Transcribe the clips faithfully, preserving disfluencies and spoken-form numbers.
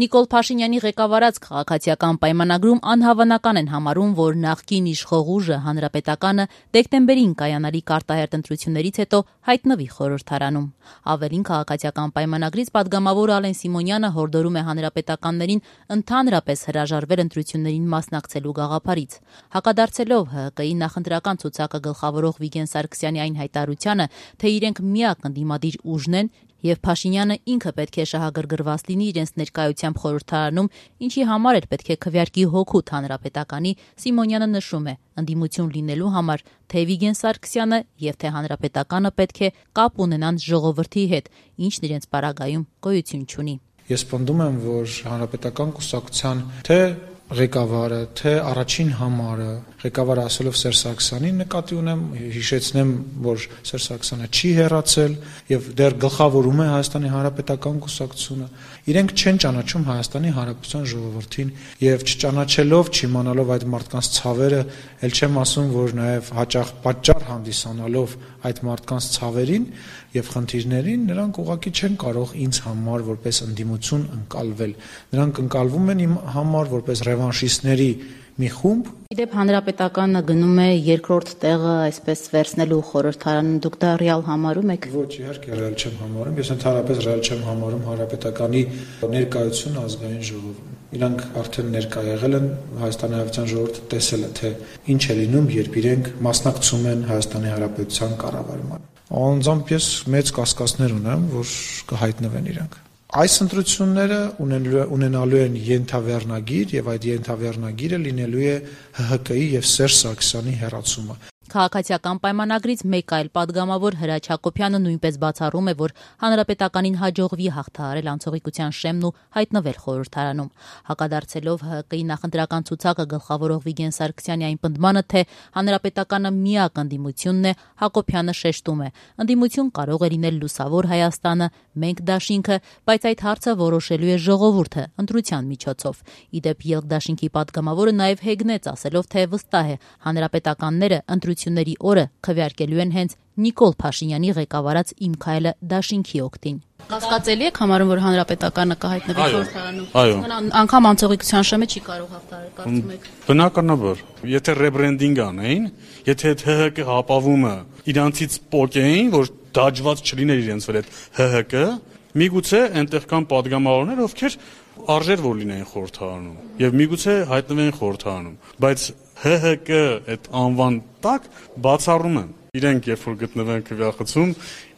Նիկոլ Փաշինյանի ղեկավարած քաղաքացիական պայմանագրում անհավանական են համարում, որ նախկին իշխող ուժը հանրապետականը դեկտեմբերին կայանալիք արտահերթ ընտրություններից հետո հայտնվի խորհրդարանում։ Ավելին, քաղաքացիական պայմանագրից պատգամավոր Ալեն Սիմոնյանը հորդորում է հանրապետականներին ընդհանրապես հրաժարվել ընտրություններին մասնակցելու գաղափարից։ Հակադարձելով ՀՀԿ-ի նախընտրական ցուցակը գլխավորող Վիգեն Սարգսյանի այն հայտարարությանը, թե իրենք միակ ընդդիմադիր ուժն են, եւ Փաշինյանը ինքը պետք է շահագրգռված լինի իրենց ներկայությամբ խորհրդարանում, ինչի համար էլ պետք է քվեարկի հոգուտ հանրապետականի, Սիմոնյանը նշում է, ընդդիմություն լինելու համար թե Վիգեն Սարգսյանը եւ թե հանրապետականը պետք է կապ ունենան ժողովրդի հետ, ինչն իրենց պարագայում գոյություն չունի։ Ես պնդում եմ, որ հանրապետական կուսակցության թե ղեկավարը, թե առաջին համարը, ղեկավարը ասելով Սերժ Սարգսյանին նկատի ունեմ, հիշեցնեմ, որ Սերժ Սարգսյանը չի հեռացել եւ դեռ գլխավորում է Հայաստանի Հանրապետական կուսակցությունը, իրենք չեն ճանաչում Հայաստանի Հանրապետության ժողովրդին եւ չճանաչելով, չիմանալով այդ մարդկանց ցավերը, ել չեմ ասում, որ նաեւ հաճախ պատճառ հանդիսանալով այդ մարդկանց ցավերին եւ խնդիրներին, նրանք ուղղակի չեն կարող ինձ համար որպես ընդդիմություն ընկալվել։ Նրանք ընկալվում են իմ համար որպես ռևանշիստների մի խումբ։ Իդեպ հանրապետականը գնում է երկրորդ տեղը այսպես վերցնելու խորհրդարանում, դուք դա ռեալ համարում եք։ Ոչ, իհարկե ռեալ չեմ համարում, ես ընդհանրապես ռեալ չեմ համարում հանրապետականի ներկայությունը ազգային ժողովում։ Իրանք արդեն ներկա եղել են, Հայաստանի Հանրապետության ժողովուրդը տեսել է, թե ինչ է լինում, երբ իրենք մասնակցում են Հայաստանի Հանրապետության կառավարմանը։ Անձամբ ես մեծ կասկածներ ունեմ, որ կհայտնվեն իրանք։ Այս ընտրությունները ունենալու են ենթավեռնագիր եւ այդ ենթավեռնագիրը լինելու է ՀՀԿ-ի եւ Սերժ Սարգսյանի հեռացումը։ Քաղաքացիական պայմանագրից մեկ այլ պատգամավոր Հրաչ Հակոբյանը նույնպես բացառում է, որ հանրապետականին հաջողվի հաղթահարել անցողիկության շեմն ու հայտնվել խորհրդարանում։ Հակադարձելով ՀՀԿ-ի նախընտրական ցուցակը գլխավորող Վիգեն Սարգսյանի այն պնդմանը, թե հանրապետականը միակ ընդդիմությունն է, Հակոբյանը շեշտում է. ընդդիմություն կարող է լինել լուսավոր Հայաստանը, մենք դաշինքը, բայց այդ հարցը որոշելու է ժողովուրդը ընտրության միջոցով։ Իդեպ Ելք դաշինքի պատգամավորը նաև հեգնեց, ասելով, թե վստահ է հանրապետականները ընտրությունների օրը քվեարկելու են հենց Նիկոլ Փաշինյանի ղեկավարած Իմ քայլը դաշինքի օգտին։ Կասկածելի եք համարում, որ հանրապետականը կհայտնվի խորհրդարանում։ Այո։ Անգամ անցողիկության շեմը չի կարող հաղթահարել, կարծում եք։ Բնականաբար, եթե ռեբրենդինգ անեին, եթե այդ ՀՀԿ հապավումը իրանցից պոկեին, որ դաջված չլիներ իրենց վրա այդ ՀՀԿ, միգուցե այնտեղ կան պատգամավորներ, ովքեր արժեր որ լինեին խորհրդարանում եւ միգուցե հայտնվեին խորհրդարանում, բայց ՀՀԿ այդ անվան տակ բացառում են։ Իրենք երբ որ գտնվեն քվեախցում,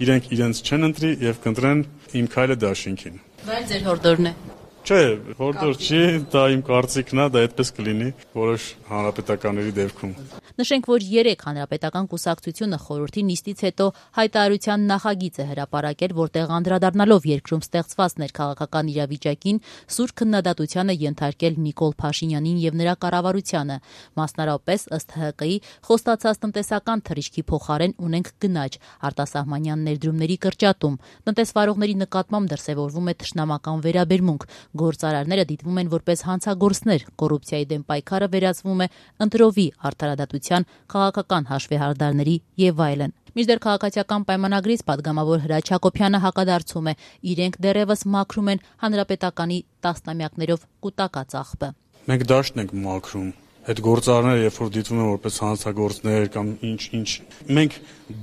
իրենք իրենց չեն ընտրի եւ կընտրեն Իմ քայլը դաշինքին։ Դա էլ ձեր հորդորն է։ Չէ, հորդոր չի, դա իմ կարծիքն է, դա այդպես կլինի որոշ հանրապետականների դեպքում։ Նշենք, որ երեք հանրապետական կուսակցությունը խորհրդի նիստից հետո հայտարարության նախագիծ է հրապարակել, որտեղ անդրադառնալով երկրում ստեղծված ներքաղաքական իրավիճակին, սուր քննադատությանը ենթարկել Նիկոլ Փաշինյանին եւ նրա կառավարությանը։ Մասնարարապես ըստ ՀՀԿ-ի խոստացած տնտեսական թռիչքի փոխարեն ունենք գնաճ, արտասահմանյան ներդրումների կրճատում, տնտեսվարողների նկատմամբ դրսևորվում է թշնամական վերաբերմունք, գործարարները դիտվում են որպես հանցագործներ, կոռուպցիայի դեմ պայքարը վերածվում է ընտրովի արդարադատության, քաղաքական հաշվեհարդարների եւ այլն։ Մինչդեռ քաղաքացիական պայմանագրից պատգամավոր Հրաչ Հակոբյանը հակադարձում է, իրենք դեռևս մաքրում են հանրապետականի տասնամյակներով կուտակած աղբը։ Մենք դաշտն ենք մաքրում։ Այդ գործարարները երբ որ դիտվում են որպես հանցագործներ կամ ինչ-ինչ, մենք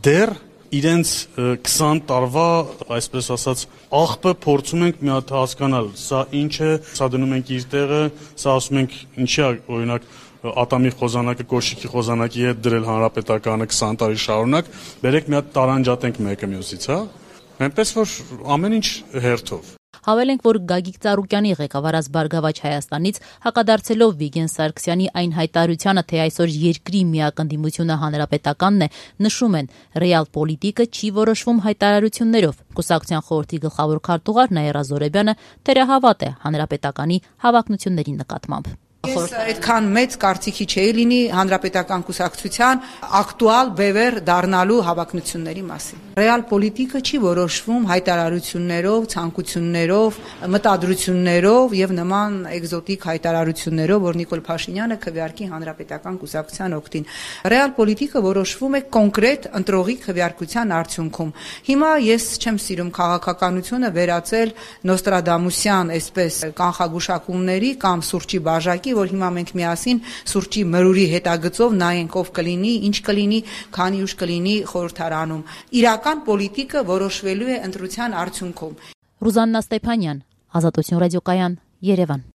դեռ իրենց քսան տարվա, այսպես ասած, աղբը փորձում ենք մի հատ հասկանալ, սա ինչ է, սա դնում ենք իր տեղը, սա ասում ենք ինչի է, օրինակ, ատամի խոզանակը կոշիկի խոզանակի հետ դրել հանրապետականը քսան տարի շարունակ, բերեք մի հատ տարանջատենք մեկը մյուսից, հա։ Այնպես որ ամեն ինչ հերթով։ Հավելենք, որ Գագիկ Ծառուկյանի ղեկավարած Բարգավաճ Հայաստանից հակադարձելով Վիգեն Սարգսյանի այն հայտարարությանը, թե այսօր երկրի միակ ընդդիմությունը հանրապետականն է, նշում են, ռեալ պոլիտիկը չի որոշվում հայտարարություններով։ Կուսակցության խորհրդի գլխավոր քարտուղար Նաիրա Զորեբյանը թերահավատ է հանրապետականի հավակնությունների նկատմամբ։ Ես այդքան մեծ կարծիքի չէի լինի հանրապետական կուսակցության ակտուալ բևեր դառնալու հավակնությունների մասին։ Ռեալ պոլիտիկը չի որոշվում հայտարարություններով, ցանկություններով, մտադրություններով եւ նման էկզոտիկ հայտարարություններով, որ Նիկոլ Փաշինյանը քվեարկի հանրապետական կուսակցության օգտին։ Ռեալ պոլիտիկը որոշվում է կոնկրետ ընտրողի քվեարկության արդյունքում։ Հիմա ես չեմ սիրում քաղաքականությունը վերածել նոստրադամուսյան այսպես կանխագուշակումների կամ սուրճի բաժակի, որ հիմա մենք միասին սուրճի մրուրի հետագծով նայենք ով կլինի, ինչ կլինի, քանի ուժ կլինի խորհրդարանում։ Իրական պոլիտիկը որոշվելու է ընտրության արդյունքում։ Ռուզաննա Ստեփանյան, Ազատություն ռադիոկայան, Երևան։